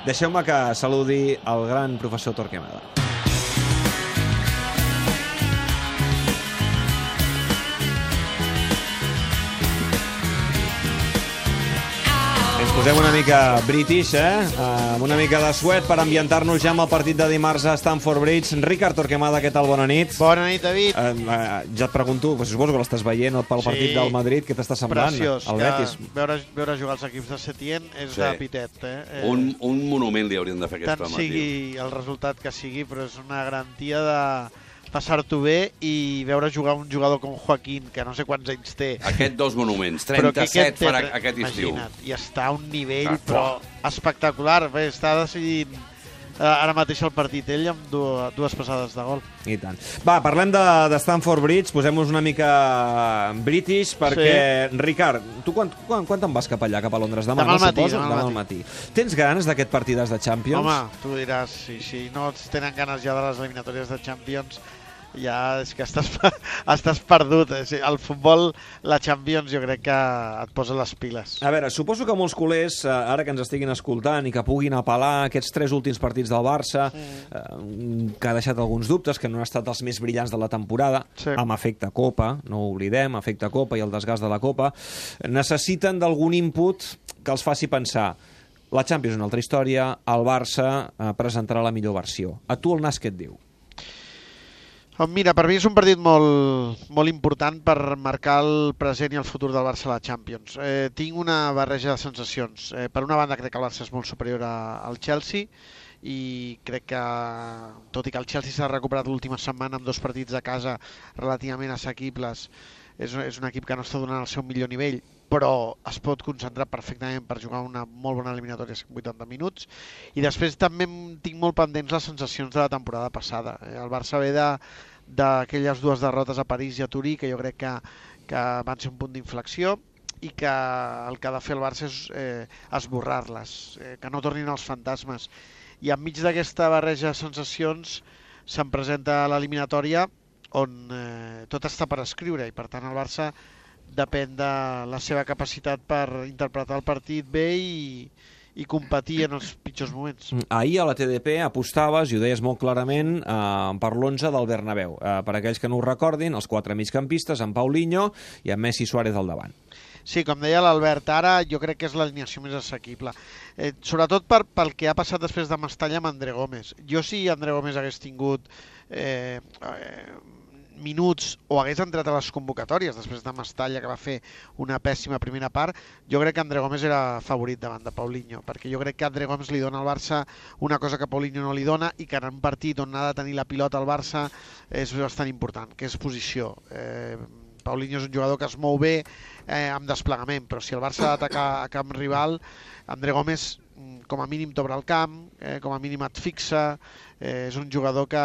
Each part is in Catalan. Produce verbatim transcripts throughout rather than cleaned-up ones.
Deixeu-me que saludi el gran professor Torquemada. Ens posem una mica british, eh? Amb una mica de suet per ambientar-nos ja amb el partit de dimarts a Stamford Bridge. Ricard Torquemada, què tal? Bona nit. Bona nit, David. Eh, eh, ja et pregunto, pues, suposo que l'estàs veient pel Sí. partit del Madrid, què t'està semblant? Preciós. El que Betis. Veure, veure jugar els equips de Setién és Sí. de pitet. Eh? Eh, Un, un monument li haurien de fer aquest tant matí. sigui el resultat que sigui, però és una garantia de passar-t'ho bé i veure jugar un jugador com Joaquín, que no sé quants anys té. Aquest dos monuments, però que trenta-set té, farà aquest estiu. imagina't, i està a un nivell Ah, però espectacular. Bé, està decidint eh, ara mateix el partit ell amb dues, dues passades de gol. I tant. Va, parlem de, de Stamford Bridge, posem-nos una mica british, perquè, sí. Ricard, tu quan, quan, quan te'n vas cap allà, cap a Londres? Demà, Demà al no matí, suposo? demà al Demà al matí. Tens ganes d'aquest partidàs de Champions? Home, tu diràs, si, si no es tenen ganes ja de les eliminatòries de Champions, ja és que estàs, estàs perdut. El futbol, la Champions, jo crec que et posa les piles. A veure, suposo que molts culers, eh, ara que ens estiguin escoltant i que puguin apel·lar aquests tres últims partits del Barça, eh, que ha deixat alguns dubtes, que no han estat els més brillants de la temporada, Sí. amb efecte Copa, no ho oblidem, efecte Copa i el desgast de la Copa, necessiten d'algun input que els faci pensar la Champions és una altra història, el Barça eh, presentarà la millor versió. A tu el nas què et diu? Oh, mira, per mi és un partit molt, molt important per marcar el present i el futur del Barça a la Champions. Eh, tinc una barreja de sensacions. Eh, per una banda, crec que el Barça és molt superior a, al Chelsea i crec que, tot i que el Chelsea s'ha recuperat l'última setmana amb dos partits a casa relativament assequibles, és, és un equip que no està donant el seu millor nivell, però es pot concentrar perfectament per jugar una molt bona eliminatòria en vuitanta minuts. I després també tinc molt pendents les sensacions de la temporada passada. El Barça ve de d'aquelles dues derrotes a París i a Turí, que jo crec que, que van ser un punt d'inflexió i que el que ha de fer el Barça és eh, esborrar-les, eh, que no tornin els fantasmes. I enmig d'aquesta barreja de sensacions se'n presenta l'eliminatòria on eh, tot està per escriure i per tant el Barça depèn de la seva capacitat per interpretar el partit bé i, i competir en els pitjors moments. Ahir a la T D P apostaves, i ho deies molt clarament, eh, per l'onze del Bernabéu. Eh, per aquells que no ho recordin, els quatre migcampistes, amb Paulinho i amb Messi Suárez al davant. Sí, com deia l'Albert, ara jo crec que és l'alineació més assequible. Eh, sobretot per, pel que ha passat després de Mestalla amb André Gómez. Jo si André Gómez hagués tingut eh, eh, minuts o hagués entrat a les convocatòries després de Mestalla, que va fer una pèssima primera part, jo crec que André Gómez era favorit davant de Paulinho, perquè jo crec que André Gómez li dona al Barça una cosa que Paulinho no li dona i que en un partit on ha de tenir la pilota al Barça és bastant important, que és posició. Eh, Paulinho és un jugador que es mou bé eh, amb desplegament, però si el Barça ha d'atacar a camp rival, André Gómez com a mínim t'obre el camp, eh, com a mínim et fixa, eh, és un jugador que,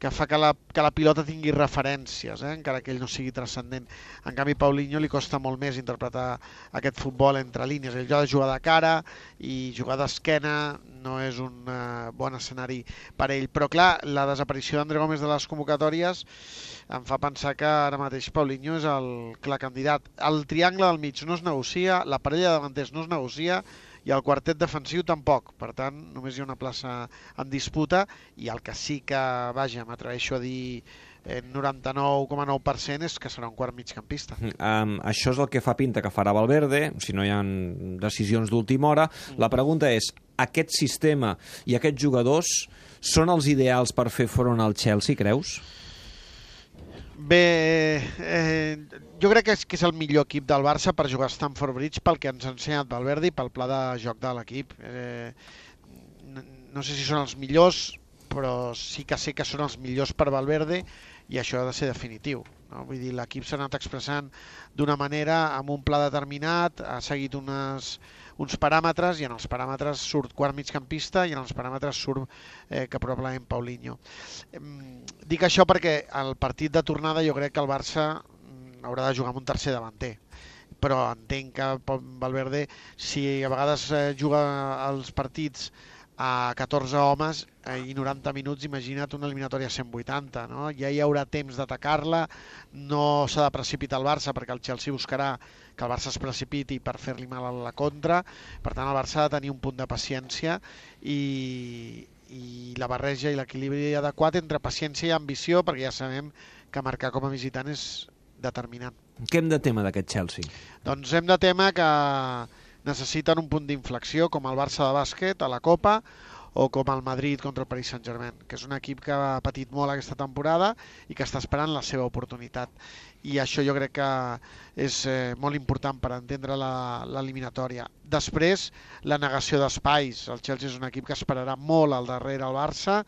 que fa que la, que la pilota tingui referències, eh, encara que ell no sigui transcendent. En canvi, Paulinho li costa molt més interpretar aquest futbol entre línies. Ell ha de jugar de cara i jugar d'esquena no és un uh, bon escenari per ell. Però clar, la desaparició d'André Gómez de les convocatòries em fa pensar que ara mateix Paulinho és el clar candidat. El triangle del mig no es negocia, la parella de davanters no es negocia, i el quartet defensiu tampoc. Per tant, només hi ha una plaça en disputa i el que sí que, vaja, m'atreveixo a dir noranta-nou coma nou per cent és que serà un quart migcampista. Um, això és el que fa pinta que farà Valverde, si no hi ha decisions d'última hora. La pregunta és, aquest sistema i aquests jugadors són els ideals per fer front al Chelsea, creus? Bé, eh, jo crec que és, que és el millor equip del Barça per jugar a Stamford Bridge pel que ens ha ensenyat Valverde i pel pla de joc de l'equip. Eh, no sé si són els millors, però sí que sé que són els millors per Valverde i això ha de ser definitiu. No? Vull dir, l'equip s'ha anat expressant d'una manera, amb un pla determinat, ha seguit unes, uns paràmetres i en els paràmetres surt quart migcampista i en els paràmetres surt eh, que probablement Paulinho. Eh, dic això perquè el partit de tornada jo crec que el Barça haurà de jugar amb un tercer davanter, però entenc que Valverde, si a vegades eh, juga els partits a catorze homes i noranta minuts, imagina't una eliminatòria a cent vuitanta, no? Ja hi haurà temps d'atacar-la, no s'ha de precipitar el Barça perquè el Chelsea buscarà que el Barça es precipiti per fer-li mal a la contra, per tant el Barça ha de tenir un punt de paciència i, i la barreja i l'equilibri adequat entre paciència i ambició, perquè ja sabem que marcar com a visitant és determinant. Què hem de tema d'aquest Chelsea? Doncs hem de tema que necessiten un punt d'inflexió, com el Barça de bàsquet a la Copa o com el Madrid contra el Paris Saint-Germain, que és un equip que ha patit molt aquesta temporada i que està esperant la seva oportunitat. I això jo crec que és eh, molt important per entendre l'eliminatòria. Després, la negació d'espais. El Chelsea és un equip que esperarà molt al darrere el Barça,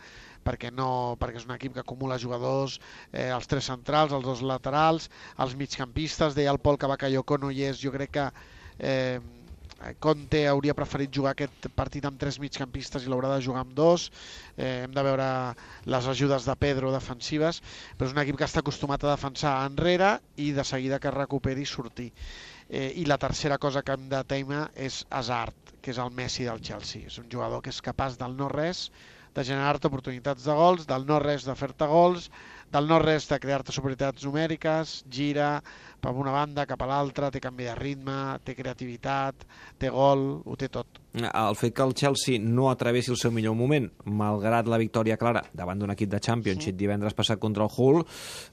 perquè, no, perquè és un equip que acumula jugadors, eh, els tres centrals, els dos laterals, els migcampistes. Deia el Pol que Bakayoko no hi és, jo crec que eh, Conte hauria preferit jugar aquest partit amb tres migcampistes i l'haurà de jugar amb dos. Eh, hem de veure les ajudes de Pedro defensives, però és un equip que està acostumat a defensar enrere i de seguida que recuperi sortir. Eh, I la tercera cosa que hem de temer és Hazard, que és el Messi del Chelsea. És un jugador que és capaç del no-res de generar-te oportunitats de gols, del no-res de fer-te gols, del no-res de crear-te superioritats numèriques, gira per una banda cap a l'altra, té canvi de ritme, té creativitat, té gol, ho té tot. El fet que el Chelsea no atravessi el seu millor moment, malgrat la victòria clara davant d'un equip de Championship divendres passat contra el Hull,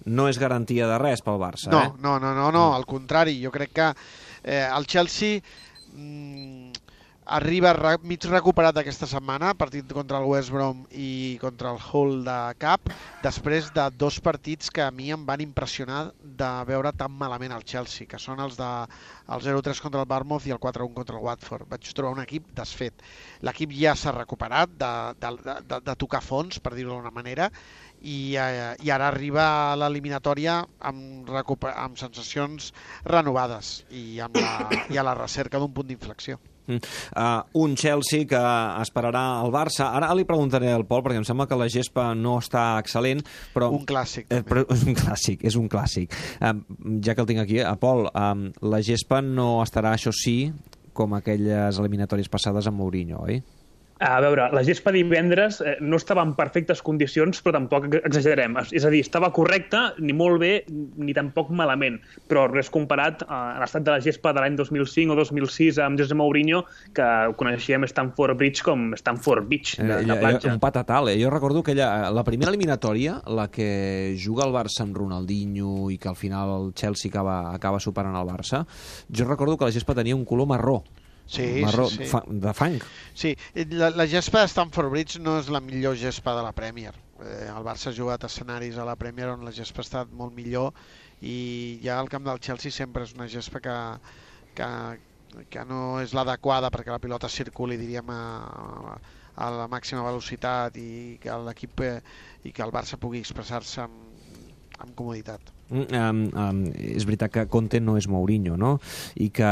no és garantia de res pel Barça, no, eh? No, no, no, no, al contrari, jo crec que eh, el Chelsea mmm, arriba re, mig recuperat aquesta setmana, partit contra el West Brom i contra el Hull de cap, després de dos partits que a mi em van impressionar de veure tan malament el Chelsea, que són els de el zero tres contra el Bournemouth i el quatre un contra el Watford. Vaig trobar un equip desfet. L'equip ja s'ha recuperat de, de, de, de tocar fons, per dir-ho d'una manera, i, eh, i ara arriba a l'eliminatòria amb, amb sensacions renovades i, amb la, i a la recerca d'un punt d'inflexió. Uh, un Chelsea que esperarà el Barça. Ara li preguntaré al Pol, perquè em sembla que la gespa no està excel·lent, però... Un clàssic, eh, però és un clàssic, és un clàssic. Uh, ja que el tinc aquí, a Pol, uh, la gespa no estarà, això sí, com aquelles eliminatòries passades amb Mourinho, oi? A veure, la gespa divendres eh, no estava en perfectes condicions, però tampoc exagerem. És a dir, estava correcta, ni molt bé, ni tampoc malament. Però res comparat a l'estat de la gespa de l'any dos mil cinc o dos mil sis amb José Mourinho, que coneixíem Stamford Bridge com Stamford Beach, de, de platja. Un patatal, eh? Jo recordo que ella, la primera eliminatòria, la que juga el Barça amb Ronaldinho i que al final el Chelsea acaba, acaba superant el Barça, jo recordo que la gespa tenia un color marró. Sí, marró, sí, sí. Fa, de fang. Sí, la, la gespa de Stamford Bridge no és la millor gespa de la Premier. Eh, el Barça ha jugat escenaris a la Premier on la gespa ha estat molt millor i ja el camp del Chelsea sempre és una gespa que, que, que no és l'adequada perquè la pilota circuli, diríem, a, a la màxima velocitat i que l'equip eh, i que el Barça pugui expressar-se amb, amb comoditat. Um, um, és veritat que Conte no és Mourinho, no? I que,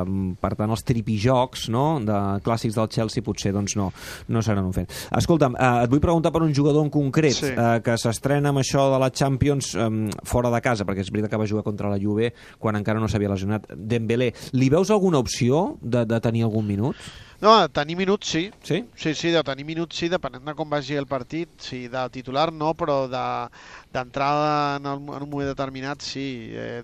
um, per tant, els tripijocs, no?, de clàssics del Chelsea potser doncs no, no seran un fet. Escolta'm, uh, et vull preguntar per un jugador en concret, sí. uh, que s'estrena amb això de la Champions um, fora de casa, perquè és veritat que va jugar contra la Juve quan encara no s'havia lesionat. Dembélé, li veus alguna opció de, de tenir algun minut? No, de tenir minuts sí. Sí? Sí, sí, de tenir minuts sí, depenent de com vagi el partit. Sí, de titular no, però d'entrada de, en, el, en un moment determinat sí. Eh,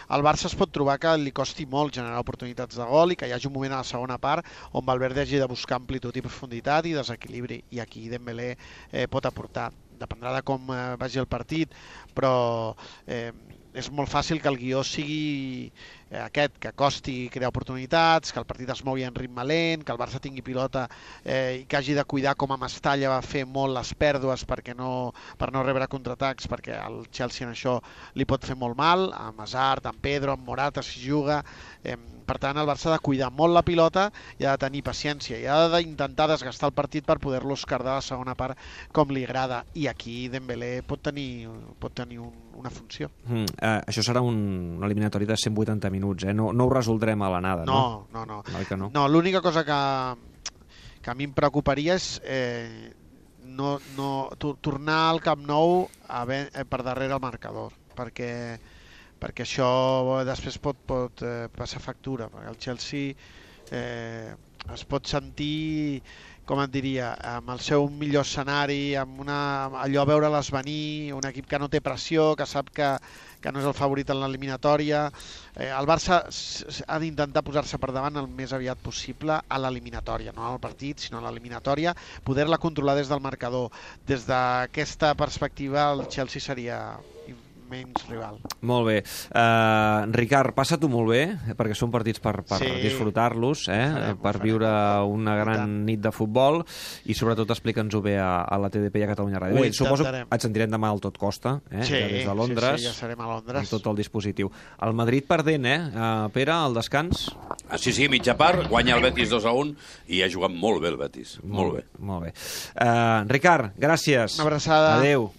el Barça es pot trobar que li costi molt generar oportunitats de gol i que hi hagi un moment a la segona part on Valverde hagi de buscar amplitud i profunditat i desequilibri. I aquí Dembélé eh, pot aportar. Dependrà de com eh, vagi el partit, però eh, és molt fàcil que el guió sigui eh, aquest, que costi crear oportunitats, que el partit es mogui en ritme lent, que el Barça tingui pilota eh, i que hagi de cuidar com a Mestalla va fer molt les pèrdues perquè no, per no rebre contraatacs, perquè el Chelsea en això li pot fer molt mal, amb Hazard, amb Pedro, amb Morata si juga. Eh, per tant, el Barça ha de cuidar molt la pilota i ha de tenir paciència i ha d'intentar desgastar el partit per poder-lo escardar a la segona part com li agrada. I aquí Dembélé pot tenir, pot tenir un, una funció. Mm, eh, això serà un, un eliminatori de cent vuitanta minuts, eh? No, no ho resoldrem a l'anada, no? No, no, no. no. no l'única cosa que, que a mi em preocuparia és eh, no, no, tornar al Camp Nou a ben, eh, per darrere el marcador, perquè perquè això després pot, pot eh, passar factura, perquè el Chelsea eh, es pot sentir com et diria, amb el seu millor escenari, amb una, allò a veure-les venir, un equip que no té pressió, que sap que, que no és el favorit en l'eliminatòria. Eh, el Barça ha d'intentar posar-se per davant el més aviat possible a l'eliminatòria, no al partit, sinó a l'eliminatòria, poder-la controlar des del marcador. Des d'aquesta perspectiva, el Chelsea seria menys rival. Molt bé. Uh, Ricard, passa-t'ho molt bé, perquè són partits per, per Sí. disfrutar-los, eh? Farem, per farem. viure una gran tant. nit de futbol i sobretot explica'ns-ho bé a, a la T D P i a Catalunya Ràdio. Ho Bé, suposo que intentarem. et sentirem demà al Tot Costa, eh? Sí, ja des de Londres, sí, sí, ja serem a Londres. amb tot el dispositiu. El Madrid perdent, eh? Uh, Pere, al descans? Ah, sí, sí, mitja part, guanya el Betis dos a un i ha jugat molt bé el Betis. Molt bé. Molt bé. Uh, Ricard, gràcies. Una abraçada. Adéu.